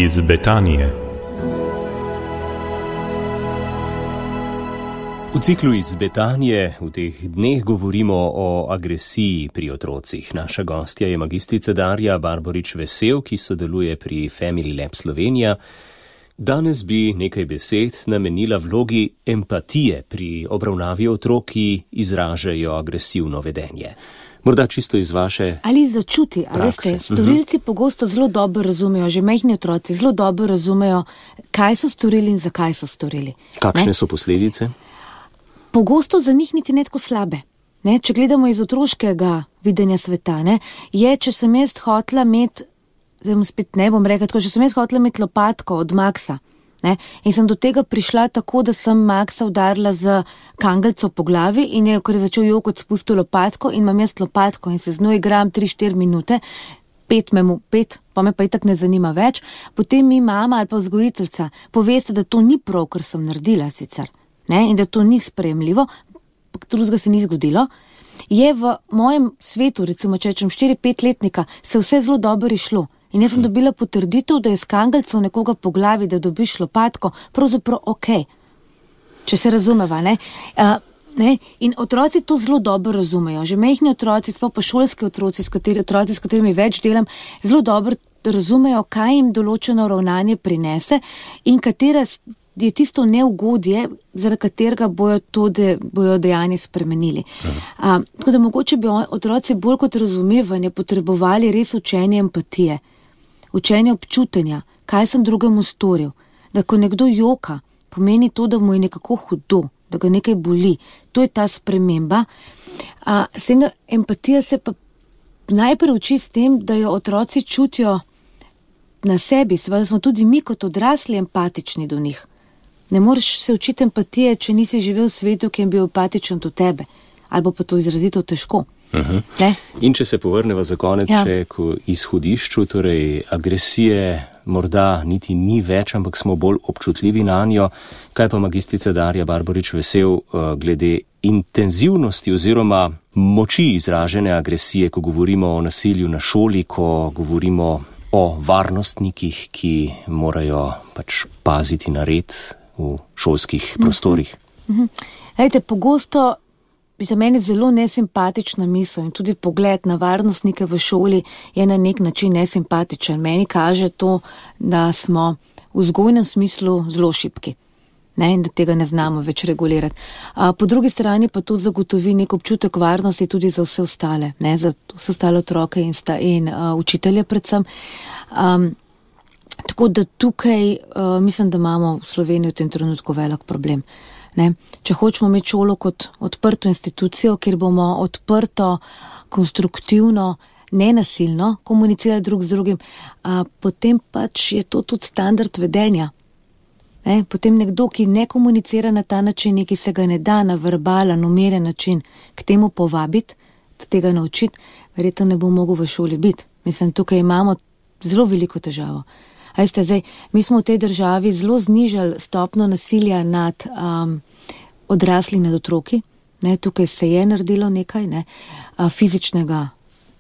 Iz Betanije. V ciklu Iz Betanije v teh dneh govorimo o agresiji pri otrocih. Naša gostja je magistrica Darja Barborič-Vesel, ki sodeluje pri Family Lab Slovenija. Danes bi nekaj besed namenila vlogi empatije pri obravnavi otrok, ki izražajo agresivno vedenje. Morda čisto iz vaše ali začuti, a veste, storilci pogosto zelo dobro razumejo, že majhni otroci zelo dobro razumejo, kaj so storili in zakaj so storili. Kakšne so posledice? Pogosto za njih niti ne tako slabe. Ne? Če gledamo iz otroškega videnja sveta, ne? Je, če sem jaz hotela imeti, zdaj spet ne bom rekla tako, če sem jaz hotela imeti lopatko od Maxa, ne? In sem do tega prišla tako, da sem Maxa udarila z kangelco po glavi in je, ker je začel jokati, spustil lopatko in imam jaz lopatko in se z njo igram 3-4 minute, 5, pa me pa itak ne zanima več, potem mi mama ali pa vzgojiteljca poveste, da to ni prav, kar sem naredila sicer, ne? In da to ni sprejemljivo, drugega se ni zgodilo. Je v mojem svetu, recimo, če rečem 4-5 letnika, se vse zelo dobro išlo. In jaz sem dobila potrditev, da je s kangelcov nekoga po glavi, da dobiš lopatko, pravzaprav okej. Če se razumeva, ne? Ne? In otroci to zelo dobro razumejo. Že majhni otroci, sploh pa šolski otroci, s katerimi več delam, zelo dobro razumejo, kaj jim določeno ravnanje prinese in katera je tisto neugodje, zaradi katerega bojo dejanje spremenili. Tako da mogoče bi otroci bolj kot razumevanje potrebovali res učenje empatije, učenje občutenja, kaj sem drugemu storil, da ko nekdo joka, pomeni to, da mu je nekako hudo, da ga nekaj boli. To je ta sprememba. Empatija se pa najprej uči s tem, da jo otroci čutijo na sebi, seveda smo tudi mi kot odrasli empatični do njih. Ne moreš se učiti empatije, če nisi živel v svetu, ki je bil empatičen do tebe. Ali pa to izrazito težko. In če se povrneva za konec še k izhodišču, torej agresije morda niti ni več, ampak smo bolj občutljivi na njo. Kaj pa magistrica Darja Barborič-Vesel glede intenzivnosti oziroma moči izražene agresije, ko govorimo o nasilju na šoli, ko govorimo o varnostnikih, ki morajo pač paziti na red v šolskih prostorih? Pogosto za mene zelo nesimpatična misel in tudi pogled na varnostnike v šoli je na nek način nesimpatičen. Meni kaže to, da smo v vzgojnem smislu zelo šibki, ne, in da tega ne znamo več regulirati. Po drugi strani pa to zagotovi nek občutek varnosti tudi za vse ostale, ne, za vse ostale otroke in učitelje predvsem. Tako da tukaj mislim, da imamo v Sloveniji v tem trenutku velik problem. Ne? Če hočemo imeti šolo kot odprto institucijo, kjer bomo odprto, konstruktivno, nenasilno komunicirali drug z drugim, potem pač je to tudi standard vedenja. Ne? Potem nekdo, ki ne komunicira na ta način, ki se ga ne da na verbalen, umirjen način k temu povabiti, tega naučiti, verjetno ne bo mogel v šoli biti. Mislim, tukaj imamo zelo veliko težavo. Veste, zdaj, mi smo v tej državi zelo znižali stopno nasilja nad odrasli nad otroki. Ne, tukaj se je naredilo nekaj, ne, fizičnega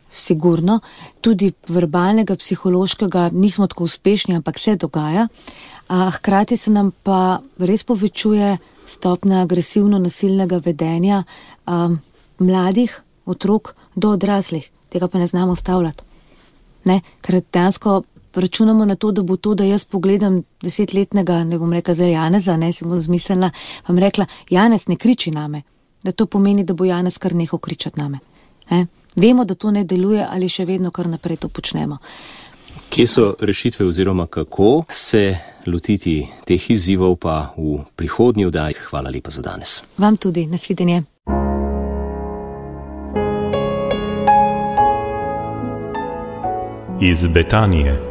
sigurno, tudi verbalnega, psihološkega, nismo tako uspešni, ampak se dogaja. Hkrati se nam pa res povečuje stopna agresivno-nasilnega vedenja mladih otrok do odraslih. Tega pa ne znamo ustavljati. Ne, ker dejansko računamo na to, da bo to, da jaz pogledam 10-letnega, ne bom rekla zdaj Janeza, ne, si bom zmislila, vam rekla, Janez ne kriči name, da to pomeni, da bo Janez kar nehal kričati name. Vemo, da to ne deluje ali še vedno kar naprej to počnemo. Kje so rešitve oziroma kako se lotiti teh izzivov pa v prihodnji oddaji? Hvala lepa za danes. Vam tudi, nasvidenje. Iz Betanije.